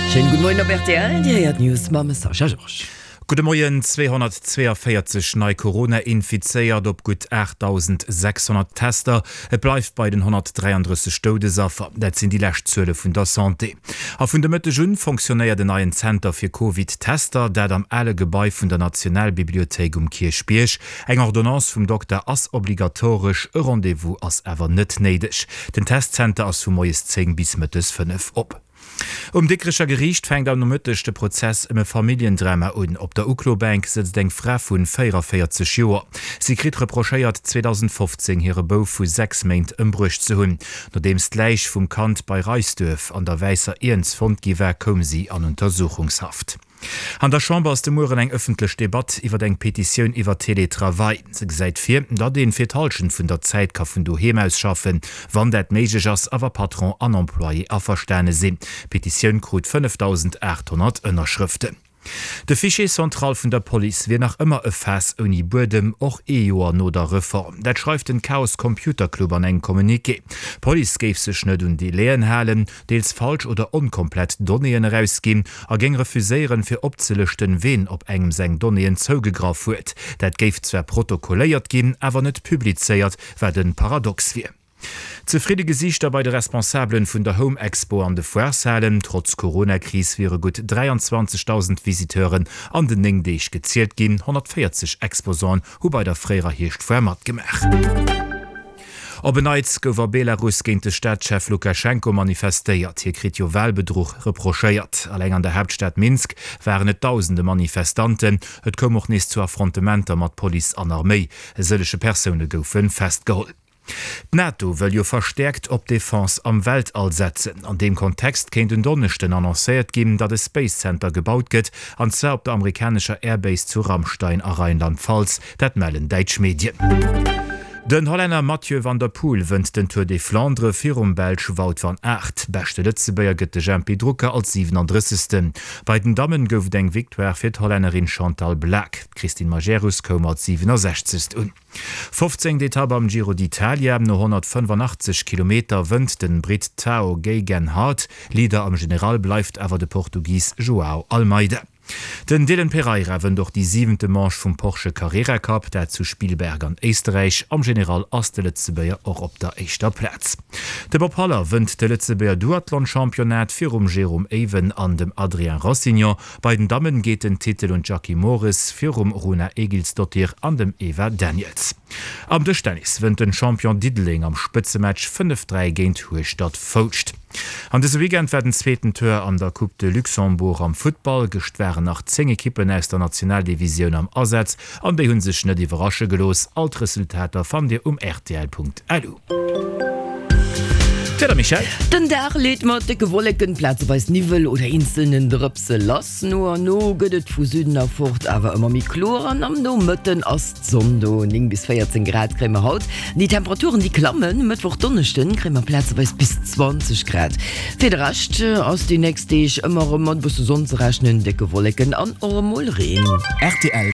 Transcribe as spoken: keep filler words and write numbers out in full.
Schéinen gudde Moien op rtl, Dir héiert d'News mam Sascha Georges. Gudde Moien, zweehonnertzweeënvéierzeg nei Corona-Infizéiert op gutt aachtdausendsechshonnert Tester. Et bleift bei den honnertdräiandrësseg Doudesaffer. Dat sinn déi lescht Zuele vun der Santé. A vun de Mëtteg un fonctionnéiert en neien Zenter fir Covid-Tester, dat am ale Gebai vun der Nationalbibliothéik um Kierchbierg. Eng Ordonnance vum Dokter ass obligatoresch, e Rendez-vous ass awer net néideg. Den Testzenter ass vu moies zéng bis mëttes fënnef op. Um Dikrecher Geriicht fänkt am Nomëtteg de Prozess ëm e Familljendrama un. Op der Uklobänk sëtzt eng Fra vu véierunvéierzeg Joer. Si kritt reprochéiert, zweedausendfofzéng hire Bouf vu sechs Méint ëmbruecht ze hunn. Nodeems d'Läich vum Kand bei Reisduerf an der Wäisser Iernz fonnt gi war, koum si an Untersuchungshaft. An der Chamber ass de Mueren eng ëffentlech Debatt iwwer eng Petitioun iwwer Teletravail. Se gesäit vir, datt een fir d'Hallschent vun der Zäit ka vun doheem aus schaffen, wann dat méiglech ass a wa Patron an Employé averstane sinn. D'Petitioun krut fënnefdausendaathonnert Ënnerschrëften. De Fichier central vun der Police wier nach ëmmer e Faass ouni Buedem, och ee Joer no der Reform. Dat schreift den Chaos Computer Club an engem Communiqué. D'Police géif sech net un Delaien halen, deels falsch oder onkomplett Donnéeën erausginn a géing refuséieren, fir opzelëschten, ween op engem seng Donnéeën zougegraff huet. Dat géif zwar protokolléiert ginn, awer net publizéiert, wat e Paradox wier. Zefridde Gesiichter bei de Responsabelen vun der Home Expo an de Foireshalen. Trotz Coronakris wiere gutt dräianzwanzegdausend Visiteuren an den néng Deeg gezielt ginn. honnertvéierzeg Exposanten hu bei der fréierer Hierschtfoire matgemaach. Op en Neits gouf a Belarus géint de Staatschef Lukaschenko manifestéiert. Hie kritt jo Walbedruch reprochéiert. Alleng an der Haaptstad Minsk waren et dausende Manifestanten. Et koum och nees zu Affrontementer mat Police an Arméi. E sëllege Persoune goufe festgeholl. D'NATO wëll jo verstäerkt op Defense am Weltall setzen. An deem Kontext kéint en Donneschden annoncéiert ginn, datt e Space Center gebaut gëtt, an zwar op der amerikanescher Airbase zu Ramstein a Rheinland-Pfalz. Dat mellen däitsch Medien. Den Hollänner Mathieu van der Poel wënnt den Tour des Flandres virum Belsch Wout van Aert. Beschte Lëtzebuerger gëtt de Jempy Drucker als siwenandrëssegsten. Bei den Dammen gouf et eng Victoire fir d'Hollännerin Chantal Blaak. D'Christine Majerus koum als siwenasechzegst un. Fofzéngt Etapp am Giro d'Italia, No honnertfënnefanachtzeg Kilometer wënnt den Britt Tao Geoghegan Hart, Leader am General bleift awer de Portugis Joao Almeida. Den Dylan Pereira wënnt och déi siwente Manche vum Porsche Carrera Cup, dat zu Spielberg an Éisterräich. Am General ass de Lëtzebuerger och op der éischter Plaz. De Bob Haller wënnt de Lëtzebuerger Duathlon-Championnat virum Jérôme Ewen an dem Adrien Rossignon. Bei den Dammen geet den Titel un d'Jackie Mores virum Runa Egilsdottir an dem Eva Daniels. Am Dëschtennis wënnt den Champion Diddeleng am Spëtzematch fënnef, dräi géint Hueschtert-Foulscht. An dëse Weekend war den zweeten Tour an der Coupe de Luxembourg am Futtball. Gëscht waren nach zéng Ekippen aus der Nationaldivisioun am Asaz an déi hu sech net iwwerrasche gelooss. All d'Resultater fannt Dir um rtl.lu. D'Wieder, Michèle? Den Dag leet mat décke Wolleken, plazeweis Niwwel oder eenzelnen Drëpse lass. No an no gëtt et vu Süden erfort awer ëmmer méi kloer an am Nomëtten ass d'Sonn do. Néng bis véierzéng Grad kréie mer haut. Déi Temperaturen déi klammen, Mëttwoch, Donneschden kréie mer plazeweis bis zwanzeg Grad. Fir de Rescht ass déi nächst Deeg ëmmer erëm mat e bësse Sonn ze rechnen, décke Wolleken an och emol Reen. Rtl.